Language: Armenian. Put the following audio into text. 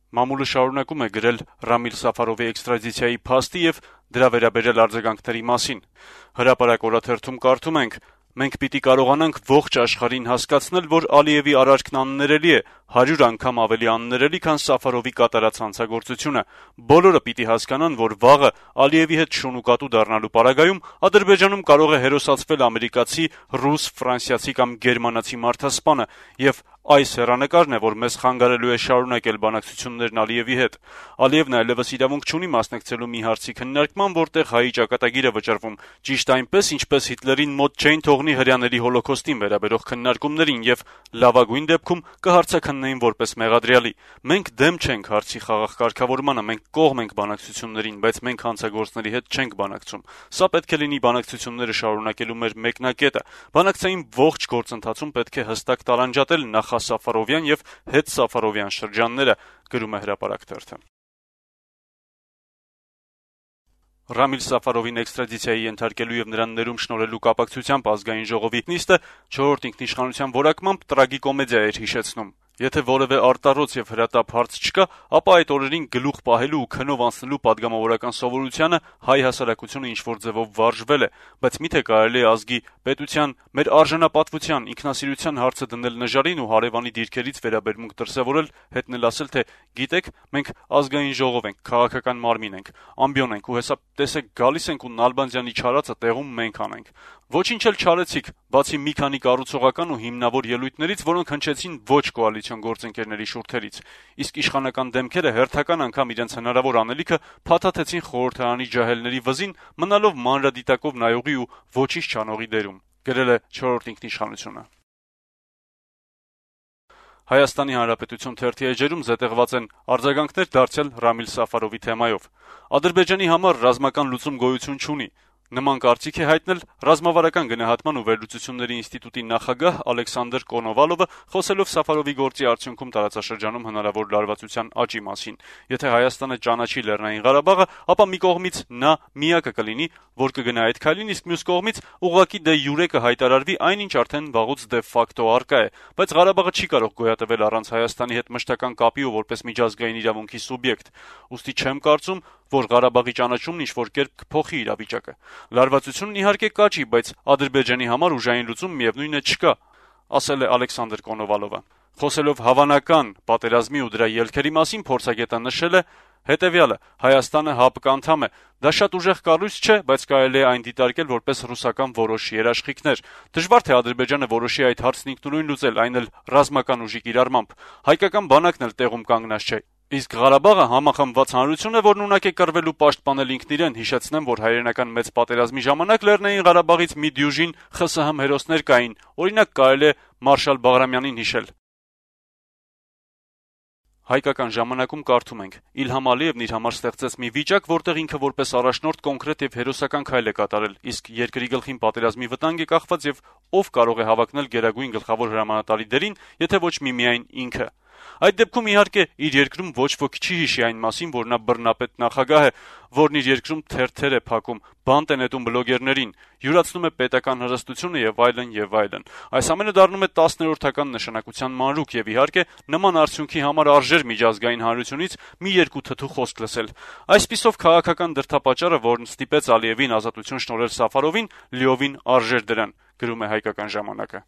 Մամուլը շարունակում է գրել Ռամիլ Սաֆարովի էքստրադիցիայի փաստի եւ դրա վերաբերյալ արձագանքների մասին։ Հրապարակ օրաթերթում կարդում ենք. «Մենք պիտի կարողանանք ողջ աշխարհին հասկացնել, որ Ալիևի արարքն աններելի է, 100 անգամ ավելի աններելի, քան Սաֆարովի կատարած հանցագործությունը։ Բոլորը պիտի հասկանան, որ վաղը Ալիևի հետ շունուկատու դառնալու պարագայում Ադրբեջանում կարող է հերոսացվել ամերիկացի, ռուս, ֆրանսիացի կամ գերմանացի մարդասպանը, եւ այս հեռանկարն է, որ մեզ խանգարելու է շարունակել բանակցություններն Ալիևի հետ։ Ալիևն այլևս իրավունք չունի մասնակցելու մի հարցի քննարկման, որտեղ հայի ճակատագիր է վճռվում, ճիշտ այնպես, ինչպես Հիտլերին մոտ չէին թողնի հրեաների հոլոքոստին վերաբերող քննարկումներին եւ լավագույն դեպքում կհարցաքննեին որպես մեղադրյալի։ Մենք դեմ չենք հարցի խաղաղ կարգավորմանը, մենք կողմ ենք բանակցություններին, բայց մենք հանցագործների հետ չենք բանակցում։ Սա պետք է լինի բանակցությունները շարունակելու մեր մեկնակետը։ Բանակցային ողջ գործընթացում պետք է հստակ տարանջատել նախասաֆարովյան եւ հետսաֆարովյան շրջանները», գրում է Հրապարակ թերթը։ Ռամիլ Սաֆարովին էքստրադիցիայի ենթարկելու եւ նրան ներում շնորհելու կապակցությամբ ազգային ժողովի նիստը 4-րդ ինքնիշխանության որակմամբ տրագիկոմեդիա էր հիշեցնում։ Եթե որևէ արտառոց եւ հրատապ հարց չկա, ապա այդ օրերին գլուխ պահելու ու քնով անցնելու падգամավորական սովորությանը հայ հասարակությունը ինչ-որ ձևով վարժվել է, բայց միթե կարելի է ազգի, պետության, մեր արժանապատվության, ինքնասիրության հարցը դնել նժարին ու հարևանի դիրքերից վերաբերմունք դրսևորել, հետնել ասել, թե գիտեք, մենք ազգային ժողով ենք, քաղաքական մարմին ենք, ամբիոն ենք ու հեսա տեսեք գալիս ենք ու Նալբանդյանի չարածը տեղում մենք անենք։ Ոչինչ էլ չարեցիք, բացի մի քանի կառուցողական ու հիմնավոր ելույթներից, որոնք հնչեցին ոչ կոալիցիոն գործընկերների շուրթերից։ Իսկ իշխանական դեմքերը հերթական անգամ իրենց հնարավոր անելիքը փաթաթեցին խորհրդարանի ջահելների վզին, մնալով մանրադիտակով նայողի ու ոչինչ չանողի դերում, գրել է 4-րդ ինքնիշխանությունը։ Հայաստանի Հանրապետություն թերթի էջերում զետեղված են արձագանքներ դարձյալ Ռամիլ Սաֆարովի թեմայով։ Ադրբեջանի համար ռազմական լուծում գոյություն չունի։ Նման կարծիք է հայտնել Ռազմավարական գնահատման ու վերլուծությունների ինստիտուտի նախագահ Ալեքսանդր Կոնովալովը, խոսելով Սաֆարովի գործի արդյունքում տարածաշրջանում հնարավոր լարվածության աճի մասին։ Եթե Հայաստանը ճանաչի Լեռնային Ղարաբաղը, ապա մի կողմից նա միակը կլինի, որ կգնա այդ քայլին, իսկ մյուս կողմից ուղղակի դե յուրե կհայտարարվի այնինչ արդեն վաղուց դե ֆակտո արկա է, բայց Ղարաբաղը չի կարող գոյատևել առանց Հայաստանի հետ մշտական կապի ու որպես միջազգային իրավունքի սուբյեկտ։ Ուստի չեմ կարծում, որ Ղարաբաղի ճանաչումն ինչ-որ կերպ կփոխի իրավիճակը։ Լարվածությունն իհարկե կաճի, բայց Ադրբեջանի համար ուժային լուծում միևնույն է չկա, ասել է Ալեքսանդր Կոնովալովը։ Խոսելով հավանական պատերազմի ու դրա ելքերի մասին, փորձագետը նշել է հետեւյալը. Հայաստանը ՀԱՊԿ անդամ է։ Դա շատ ուժեղ կառույց չէ, բայց կարելի է այն դիտարկել որպես ռուսական որոշ երաշխիքներ։ Դժվար թե Ադրբեջանը որոշի այդ հարցն ինքնուրույն լուծել, այն էլ ռազմական ուժի կիրառմամբ։ Հայկական բանակն էլ տեղում կանգնած չէ։ Իսկ Ղարաբաղը համախմբված հանրություն է, որն ունակ է կռվել ու պաշտպանել ինքն իրեն։ Հիշեցնեմ, որ հայերենական մեծ պատերազմի ժամանակ Լեռնային Ղարաբաղից մի դյուժին ԽՍՀՄ հերոսներ կային։ Օրինակ կարելի է Մարշալ Բաղրամյանին հիշել։ Հայկական ժամանակում կարդում ենք. Իլհամ Ալիևն իր համար ստեղծեց մի վիճակ, որտեղ ինքը որպես առաջնորդ կոնկրետ եւ հերոսական քայլ է կատարել, իսկ երկրի գլխին պատերազմի վտանգ է կախված եւ ով կարող է հավակնել գերագույն գլխավոր հրամանատարի դերին, եթե ոչ միմիայն ինքը։ Այդ դեպքում իհարկե իր երկրում ոչ ոքի չի հիշի այն մասին, որ նա բռնապետ նախագահ է, որն իր երկրում թերթեր է փակում, բանտ է նետում բլոգերներին, յուրացնում է պետական հրստությունը եւ այլն եւ այլն։ Այս ամենը դառնում է 10-րդական նշանակության մանրուք եւ իհարկե նման արդյունքի համար արժեր միջազգային հանրությունից մի երկու թթու խոսք լսել։ Այսպիսով քաղաքական դրդապատճառը, որն ստիպեց Ալիևին ազատություն շնորհել Սաֆարովին, լիովին արժեր դրան, գրում է Հայկական ժամանակը։